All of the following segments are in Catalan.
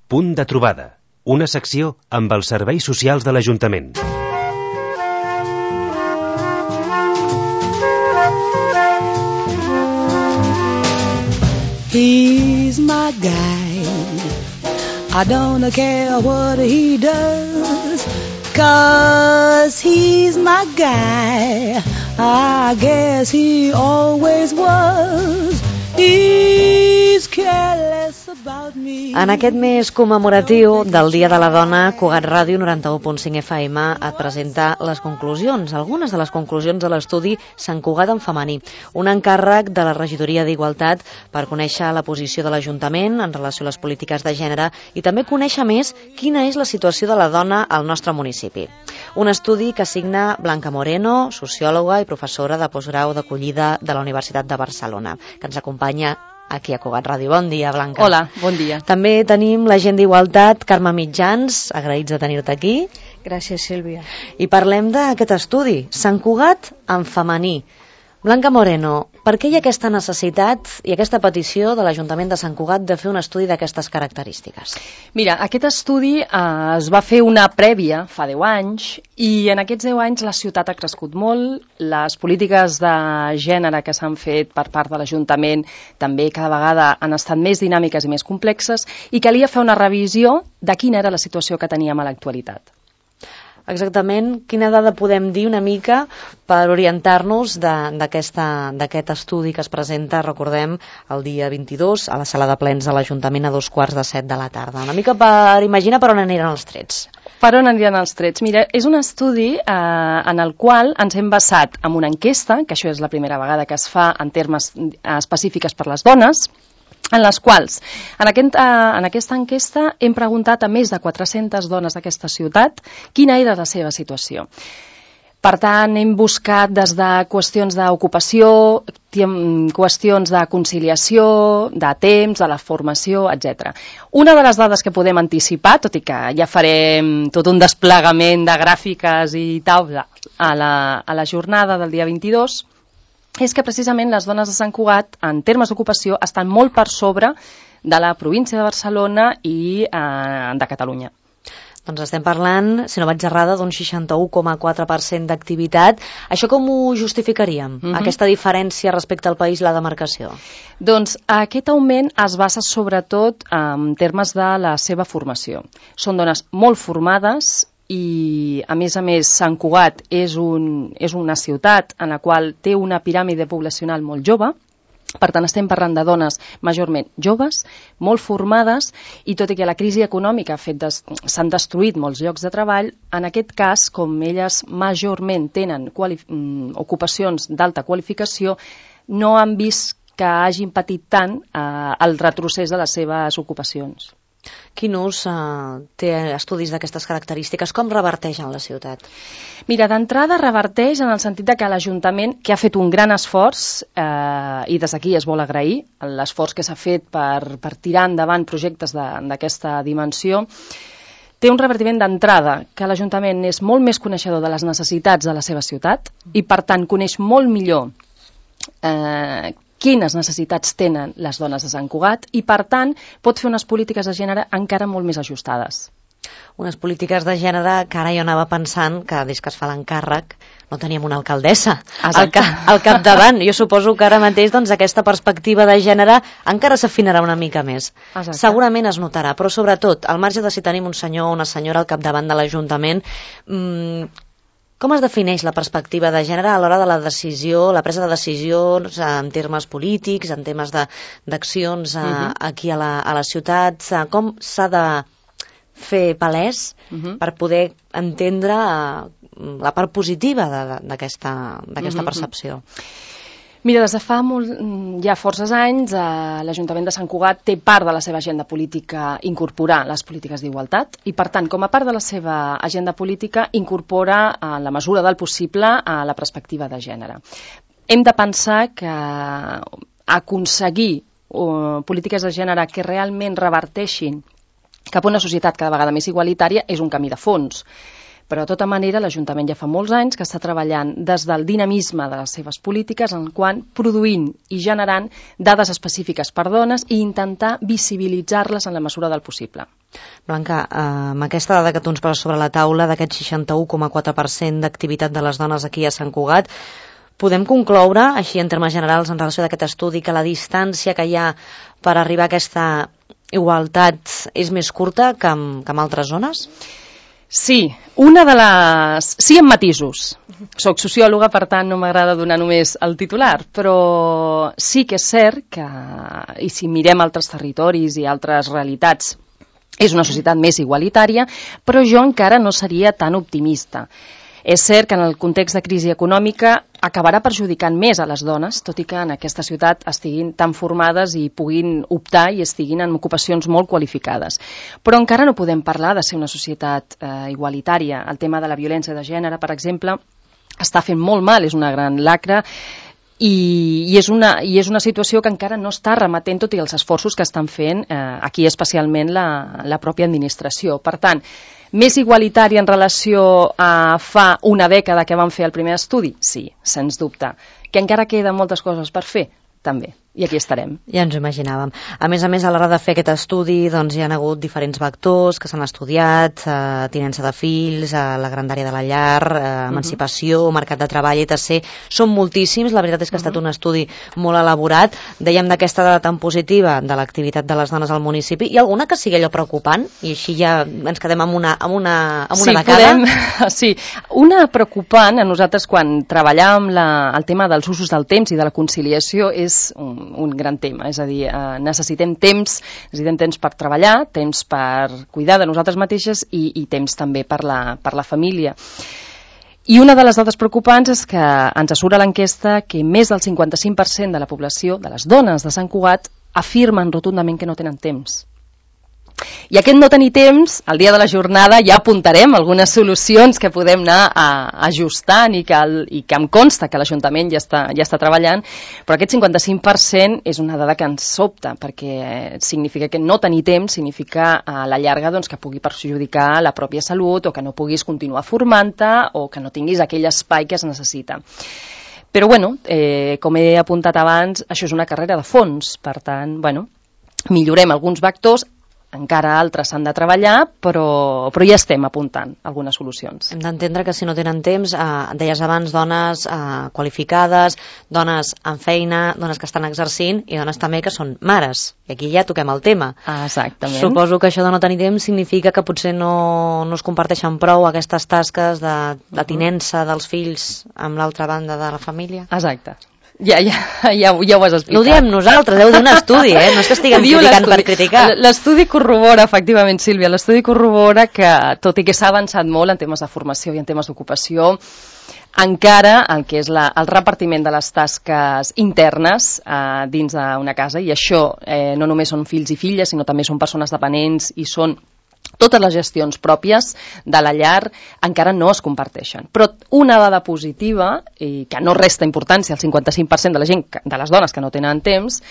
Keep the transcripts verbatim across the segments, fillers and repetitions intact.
Punt de trobada, una secció amb els serveis socials de l'Ajuntament. He's my guy. I don't care what he does, 'cause he's my guy. I guess he always was. He's careless about me. En aquest mes commemoratiu del Dia de la Dona, Cugat Ràdio noranta-u punt cinc F M et presenta les conclusions, algunes de les conclusions de l'estudi Sant Cugat en femení, un encàrrec de la Regidoria d'Igualtat per conèixer la posició de l'Ajuntament en relació a les polítiques de gènere i també conèixer més quina és la situació de la dona al nostre municipi. Un estudi que signa Blanca Moreno, sociòloga i professora de postgrau d'acollida de la Universitat de Barcelona, que ens acompanya aquí a Cugat Ràdio. Bon dia, Blanca. Hola, bon dia. També tenim l'agent d'Igualtat, Carme Mitjans, agraïts de tenir-te aquí. Gràcies, Sílvia. I parlem d'aquest estudi, Sant Cugat en femení. Blanca Moreno, per què hi ha aquesta necessitat i aquesta petició de l'Ajuntament de Sant Cugat de fer un estudi d'aquestes característiques? Mira, aquest estudi eh, es va fer una prèvia fa deu anys i en aquests deu anys la ciutat ha crescut molt, les polítiques de gènere que s'han fet per part de l'Ajuntament també cada vegada han estat més dinàmiques i més complexes i calia fer una revisió de quina era la situació que teníem a l'actualitat. Exactament, quina dada podem dir una mica per orientar-nos d'aquest estudi que es presenta, recordem, el dia vint-i-dos a la sala de plens de l'Ajuntament a dos quarts de set de la tarda. Una mica per imaginar per on aniran els trets. Per on aniran els trets? Mira, és un estudi eh, en el qual ens hem basat en una enquesta, que això és la primera vegada que es fa en termes específics per les dones, en les quals, en, aquest, eh, en aquesta enquesta, hem preguntat a més de quatre-centes dones d'aquesta ciutat quina era la seva situació. Per tant, hem buscat des de qüestions d'ocupació, qüestions de conciliació, de temps, de la formació, etcètera. Una de les dades que podem anticipar, tot i que ja farem tot un desplegament de gràfiques i tal a la, a la jornada del dia vint-i-dos, és que precisament les dones de Sant Cugat, en termes d'ocupació, estan molt per sobre de la província de Barcelona i eh, de Catalunya. Doncs estem parlant, si no vaig errada, d'un seixanta-u coma quatre per cent d'activitat. Això com ho justificaríem, mm-hmm. aquesta diferència respecte al país, la demarcació? Doncs aquest augment es basa sobretot en termes de la seva formació. Són dones molt formades i, a més a més, Sant Cugat és, un, és una ciutat en la qual té una piràmide poblacional molt jove. Per tant, estem parlant de dones majorment joves, molt formades, i tot i que la crisi econòmica ha fet des... s'han destruït molts llocs de treball, en aquest cas, com elles majorment tenen quali... ocupacions d'alta qualificació, no han vist que hagin patit tant eh, el retrocés de les seves ocupacions. Quin ús eh, té estudis d'aquestes característiques? Com reverteix en la ciutat? Mira, d'entrada reverteix en el sentit de que l'Ajuntament, que ha fet un gran esforç, eh, i des d'aquí es vol agrair l'esforç que s'ha fet per, per tirar endavant projectes d'aquesta dimensió, té un revertiment d'entrada, que l'Ajuntament és molt més coneixedor de les necessitats de la seva ciutat i, per tant, coneix molt millor eh, quines necessitats tenen les dones de Sant Cugat i, per tant, pot fer unes polítiques de gènere encara molt més ajustades. Unes polítiques de gènere que ara jo anava pensant que des que es fa l'encàrrec no teníem una alcaldessa al, ca al capdavant. Jo suposo que ara mateix doncs, aquesta perspectiva de gènere encara s'afinarà una mica més. Exacte. Segurament es notarà, però sobretot, al marge de si tenim un senyor o una senyora al capdavant de l'Ajuntament, mmm, com es defineix la perspectiva de gènere a l'hora de la decisió, la presa de decisions en termes polítics, en temes d'accions uh-huh. aquí a la, a la ciutat? Com s'ha de fer palès uh-huh. per poder entendre la part positiva d'aquesta uh-huh. percepció? Mira, des de fa molt, ja forces anys, eh, l'Ajuntament de Sant Cugat té part de la seva agenda política incorporar les polítiques d'igualtat i, per tant, com a part de la seva agenda política, incorpora, en la mesura del possible, a la perspectiva de gènere. Hem de pensar que aconseguir uh, polítiques de gènere que realment reverteixin cap a una societat cada vegada més igualitària és un camí de fons. Però de tota manera l'Ajuntament ja fa molts anys que està treballant des del dinamisme de les seves polítiques en quant produint i generant dades específiques per dones i intentar visibilitzar-les en la mesura del possible. Blanca, eh, amb aquesta dada que tu ens poses sobre la taula d'aquest seixanta-u coma quatre per cent d'activitat de les dones aquí a Sant Cugat, podem concloure, així en termes generals en relació d'aquest estudi, que la distància que hi ha per arribar a aquesta igualtat és més curta que en, que en altres zones? Sí, una de les... Sí, amb matisos. Soc sociòloga, per tant no m'agrada donar només el titular, però sí que és cert que, i si mirem altres territoris i altres realitats, és una societat més igualitària, però jo encara no seria tan optimista. És cert que en el context de crisi econòmica acabarà perjudicant més a les dones, tot i que en aquesta ciutat estiguin tan formades i puguin optar i estiguin en ocupacions molt qualificades. Però encara no podem parlar de ser una societat eh, igualitària. El tema de la violència de gènere, per exemple, està fent molt mal, és una gran lacra, i, i, és una, i és una situació que encara no està remetent tot i els esforços que estan fent eh, aquí especialment la, la pròpia administració. Per tant, més igualitari en relació a fa una dècada que vam fer el primer estudi? Sí, sens dubte. Que encara queden moltes coses per fer? També. I aquí estarem. Ja ens ho imaginàvem. A més a més, a l'hora de fer aquest estudi, doncs hi ha hagut diferents vectors que s'han estudiat, eh, tinença de fills, eh, la grandària de la llar, eh, emancipació, uh-huh. mercat de treball, et cetera. Són moltíssims, la veritat és que ha estat uh-huh. un estudi molt elaborat. Dèiem d'aquesta dada tan positiva de l'activitat de les dones al municipi. Hi ha alguna que sigui allò preocupant? I així ja ens quedem amb una, amb una, amb una sí, de cada? Podem, sí, una preocupant a nosaltres quan treballàvem la, el tema dels usos del temps i de la conciliació és un, un gran tema, és a dir, eh, necessitem temps, necessitem temps per treballar, temps per cuidar de nosaltres mateixes i, i temps també per la, per la família. I una de les dades preocupants és que ens surt a l'enquesta que més del cinquanta-cinc per cent de la població, de les dones de Sant Cugat, afirmen rotundament que no tenen temps. I aquest no tenir temps, el dia de la jornada ja apuntarem algunes solucions que podem anar a, ajustant i que, el, i que em consta que l'Ajuntament ja està, ja està treballant, però aquest cinquanta-cinc per cent és una dada que ens sobta, perquè significa que no tenir temps significa a la llarga doncs, que pugui perjudicar la pròpia salut o que no puguis continuar formant-te o que no tinguis aquell espai que es necessita. Però, bueno, eh, com he apuntat abans, això és una carrera de fons, per tant, bueno, millorem alguns vectors, encara altres s'han de treballar, però, però ja estem apuntant algunes solucions. Hem d'entendre que si no tenen temps, eh, deies abans, dones eh, qualificades, dones amb feina, dones que estan exercint i dones també que són mares. I aquí ja toquem el tema. Ah, exactament. Suposo que això de no tenir temps significa que potser no, no es comparteixen prou aquestes tasques de, de tinença dels fills amb l'altra banda de la família. Exacte. Ja, ja, ja, ja ho has explicat. No ho diem nosaltres, heu d'un estudi, eh? No és que estiguem criticant per criticar. L'estudi corrobora, efectivament, Sílvia, l'estudi corrobora que, tot i que s'ha avançat molt en temes de formació i en temes d'ocupació, encara el que és la, el repartiment de les tasques internes eh, dins d'una casa, i això eh, no només són fills i filles, sinó també són persones dependents i són totes les gestions pròpies de la llar, encara no es comparteixen. Però una dada positiva, i que no resta importància al cinquanta-cinc per cent de la gent, de les dones que no tenen temps,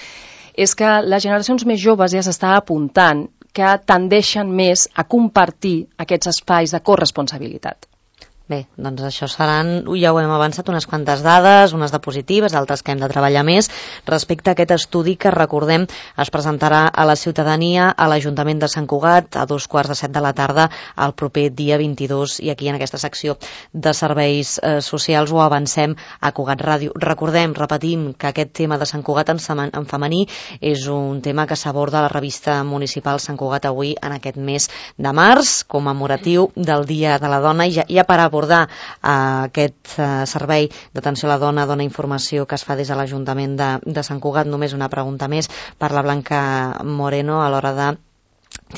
és que les generacions més joves ja s'està apuntant que tendeixen més a compartir aquests espais de corresponsabilitat. Bé, doncs això seran, ja ho hem avançat, unes quantes dades, unes de positives, altres que hem de treballar més, respecte a aquest estudi que, recordem, es presentarà a la ciutadania a l'Ajuntament de Sant Cugat a dos quarts de set de la tarda el proper dia vint-i-dos, i aquí en aquesta secció de serveis eh, socials ho avancem a Cugat Ràdio. Recordem, repetim, que aquest tema de Sant Cugat en, en femení és un tema que s'aborda a la revista municipal Sant Cugat avui en aquest mes de març, commemoratiu del Dia de la Dona, i ja, ja per abordar abordar uh, aquest uh, servei d'atenció a la dona, dona informació que es fa des de l'Ajuntament de, de Sant Cugat. Només una pregunta més per la Blanca Moreno a l'hora de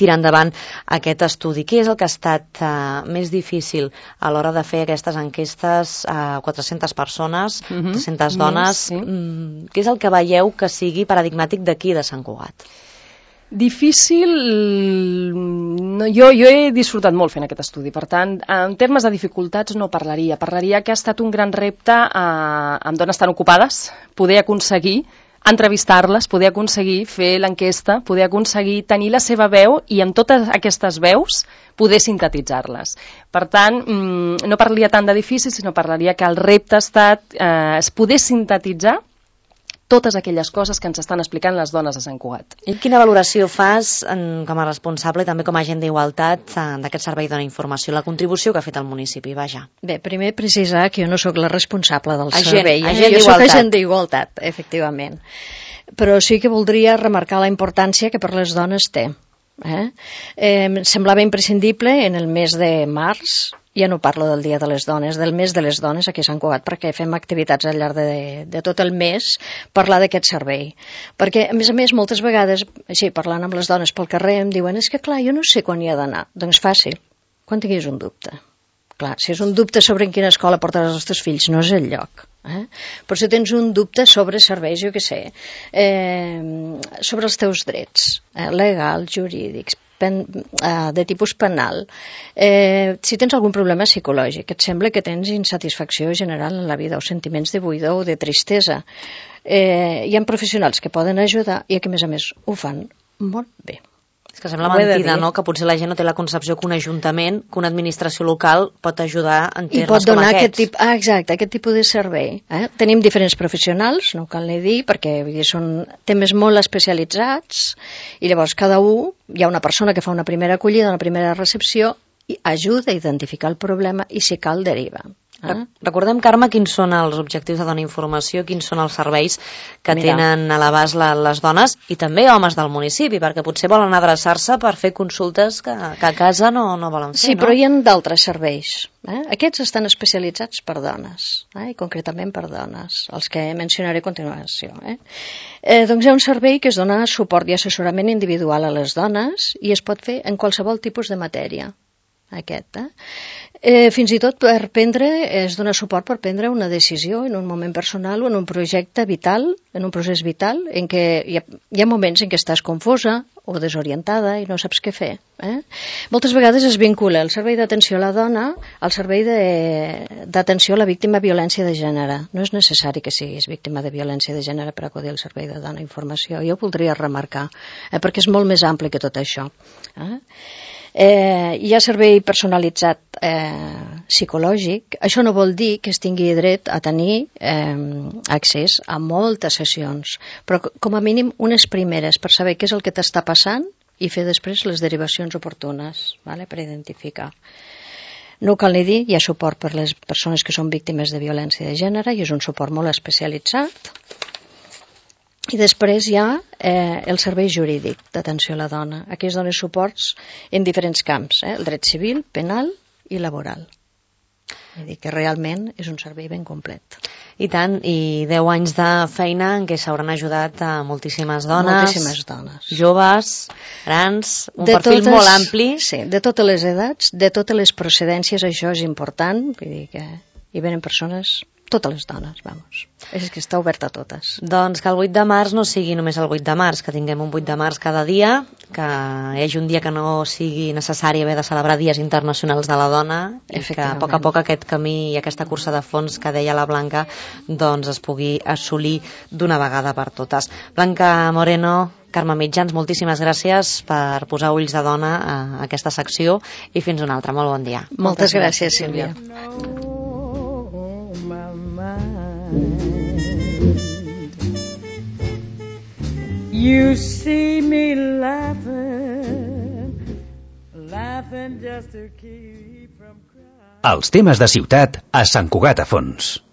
tirar endavant aquest estudi. Què és el que ha estat uh, més difícil a l'hora de fer aquestes enquestes a uh, quatre-centes persones, mm-hmm. tres-centes dones? Sí. Mm, què és el que veieu que sigui paradigmàtic d'aquí de Sant Cugat? Difícil, no, jo, jo he disfrutat molt fent aquest estudi, per tant, en termes de dificultats no parlaria, parlaria que ha estat un gran repte eh, amb dones tan ocupades, poder aconseguir entrevistar-les, poder aconseguir fer l'enquesta, poder aconseguir tenir la seva veu i amb totes aquestes veus poder sintetitzar-les. Per tant, no parlaria tant d'edificis, sinó parlaria que el repte ha estat eh, es poder sintetitzar totes aquelles coses que ens estan explicant les dones de Sant Cugat. I quina valoració fas en, com a responsable i també com a agent d'igualtat d'aquest servei Dona Informació, la contribució que ha fet el municipi? Vaja. Bé, primer precisar que jo no sóc la responsable del agent, servei. Eh? Agent jo sóc agent d'igualtat, efectivament. Però sí que voldria remarcar la importància que per les dones té. Eh? Eh, semblava imprescindible en el mes de març, ja no parlo del Dia de les Dones, del mes de les dones aquí a Sant Cugat, perquè fem activitats al llarg de, de tot el mes, parlar d'aquest servei. Perquè, a més a més, moltes vegades, així, parlant amb les dones pel carrer, em diuen, és que clar, jo no sé quan hi ha d'anar. Doncs fàcil, quan tinguis un dubte. Clar, si és un dubte sobre en quina escola portaràs els teus fills, no és el lloc. Eh? Però si tens un dubte sobre serveis, jo què sé, eh, sobre els teus drets, eh, legals, jurídics, pen, eh, de tipus penal, eh, si tens algun problema psicològic, et sembla que tens insatisfacció general en la vida o sentiments de buidor o de tristesa, eh, hi ha professionals que poden ajudar i que a més a més ho fan molt bé. És que sembla mentida, no?, que potser la gent no té la concepció que un ajuntament, que una administració local pot ajudar en termes com aquests. I pot donar aquest, tip, ah, exacte, aquest tipus de servei. Eh? Tenim diferents professionals, no cal ni dir, perquè vull dir, són temes molt especialitzats i llavors cada un, hi ha una persona que fa una primera acollida, una primera recepció, i ajuda a identificar el problema i si cal deriva. Eh? Recordem, Carme, quins són els objectius de Dona Informació, quins són els serveis que Mira. tenen a l'abast les dones i també homes del municipi, perquè potser volen adreçar-se per fer consultes que, que a casa no, no volen fer. Sí, no? Però hi ha d'altres serveis. Eh? Aquests estan especialitzats per dones, eh? I concretament per dones, els que mencionaré a continuació. Eh? Eh, doncs hi ha un servei que es dona suport i assessorament individual a les dones i es pot fer en qualsevol tipus de matèria. Aquest, eh? Eh, fins i tot per prendre, es dona suport per prendre una decisió en un moment personal o en un projecte vital, en un procés vital, en què hi ha, hi ha moments en què estàs confosa o desorientada i no saps què fer. Eh? Moltes vegades es vincula el servei d'atenció a la dona al servei d'atenció a la víctima de violència de gènere. No és necessari que siguis víctima de violència de gènere per acudir al servei de Dona Informació. Jo ho voldria remarcar, eh? perquè és molt més ampli que tot això. Eh? Eh, hi ha servei personalitzat eh, psicològic. Això no vol dir que es tingui dret a tenir eh, accés a moltes sessions, però com a mínim unes primeres per saber què és el que t'està passant i fer després les derivacions oportunes, vale? Per identificar. No cal ni dir, hi ha suport per les persones que són víctimes de violència de gènere i és un suport molt especialitzat. I després hi ha eh, el servei jurídic d'atenció a la dona. Aquí es donen suports en diferents camps, eh, el dret civil, penal i laboral. Vull dir que realment és un servei ben complet. I tant, i deu anys de feina en què s'hauran ajudat a moltíssimes dones, moltíssimes dones, joves, grans, un de perfil totes, molt ampli. Sí, de totes les edats, de totes les procedències, això és important, vull dir que hi venen persones, totes les dones, vamos. És que està obert a totes. Doncs que el vuit de març no sigui només el vuit de març, que tinguem un vuit de març cada dia, que hi hagi un dia que no sigui necessari haver de celebrar dies internacionals de la dona i que a poc a poc aquest camí i aquesta cursa de fons que deia la Blanca doncs es pugui assolir d'una vegada per totes. Blanca Moreno, Carme Mitjans, moltíssimes gràcies per posar ulls de dona a aquesta secció i fins una altra. Molt bon dia. Moltes, Moltes gràcies, gràcies, Sílvia. You see me laughing, laughing just to keep from crying. Els temes de ciutat a Sant Cugat a Fons.